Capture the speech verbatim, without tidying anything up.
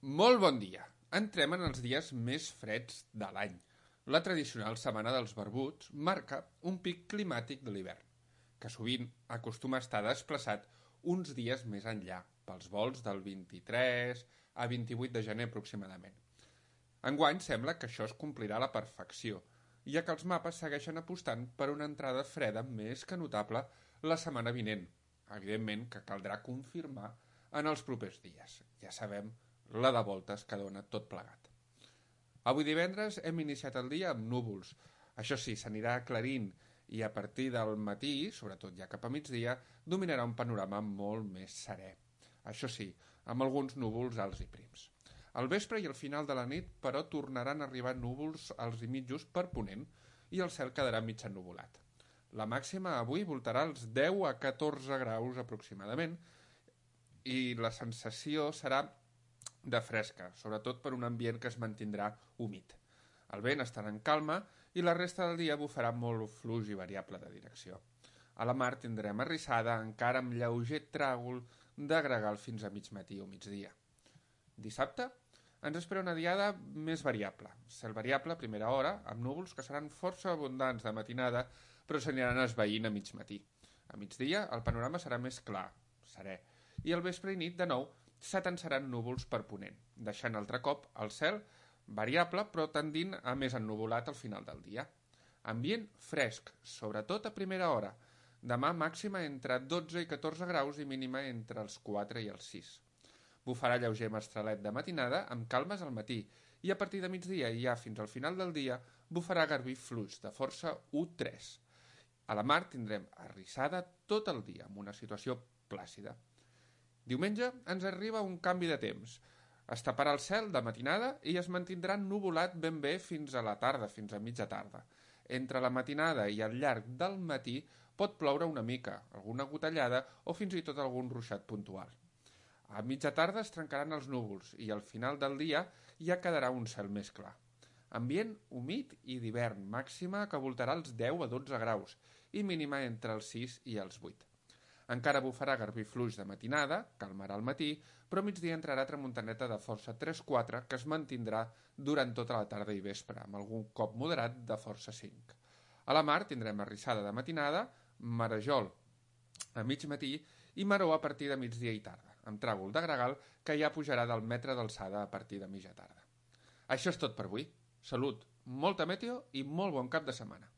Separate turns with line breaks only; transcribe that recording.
Molt bon dia. Entrem en els dies més freds de l'any. La tradicional setmana dels barbuts marca un pic climàtic de l'hivern, que sovint acostuma a estar desplaçat uns dies més enllà, pels volts del vint-i-tres a vint-i-vuit de gener aproximadament. Enguany sembla que això es complirà a la perfecció, ja que els mapes segueixen apostant per una entrada freda més que notable la setmana vinent. Evidentment que caldrà confirmar en els propers dies. Ja sabem la de voltes que dona tot plegat. Avui divendres hem iniciat el dia amb núvols. Això sí, s'anirà aclarint i a partir del matí, sobretot ja cap a migdia, dominarà un panorama molt més serè. Això sí, amb alguns núvols alts i prims. Al vespre i al final de la nit, però, tornaran a arribar núvols alts i mitjos per ponent i el cel quedarà mig ennuvolat. La màxima avui voltarà als deu a catorze graus aproximadament i la sensació serà de fresca, sobretot per un ambient que es mantindrà humit. El vent estarà en calma i la resta del dia bufarà molt fluix i variable de direcció. A la mar tindrem arrissada encara amb lleuger tràgol de gregal fins a mig matí o migdia. Dissabte ens espera una diada més variable. Cel variable a primera hora, amb núvols que seran força abundants de matinada, però s'aniran esvaint a mig matí. A migdia el panorama serà més clar, serè, i al vespre i nit, de nou, s'atansaran núvols per ponent, deixant altre cop el cel variable però tendint a més ennuvolat al final del dia. Ambient fresc, sobretot a primera hora. Demà màxima entre dotze i catorze graus i mínima entre els quatre i els sis. Bufarà lleuger mestralet de matinada amb calmes al matí i a partir de migdia i ja fins al final del dia bufarà garbí fluix de força u tres. A la mar tindrem arrissada tot el dia amb una situació plàcida. Diumenge ens arriba un canvi de temps. Es taparà el cel de matinada i es mantindrà ennuvolat ben bé fins a la tarda, fins a mitja tarda. Entre la matinada i al llarg del matí pot ploure una mica, alguna gotellada o fins i tot algun ruixat puntual. A mitja tarda es trencaran els núvols i al final del dia ja quedarà un cel més clar. Ambient humit i d'hivern, màxima que voltarà els deu a dotze graus i mínima entre els sis i els vuit. Encara bufarà garbí fluix de matinada, calmarà al matí, però a migdia entrarà tramuntaneta de força tres quatre que es mantindrà durant tota la tarda i vespre, amb algun cop moderat de força cinc. A la mar tindrem arrissada de matinada, marejol a mig matí i maró a partir de migdia i tarda, amb tràgol de gregal que ja pujarà del metre d'alçada a partir de mitja tarda. Això és tot per avui. Salut, molta meteo i molt bon cap de setmana.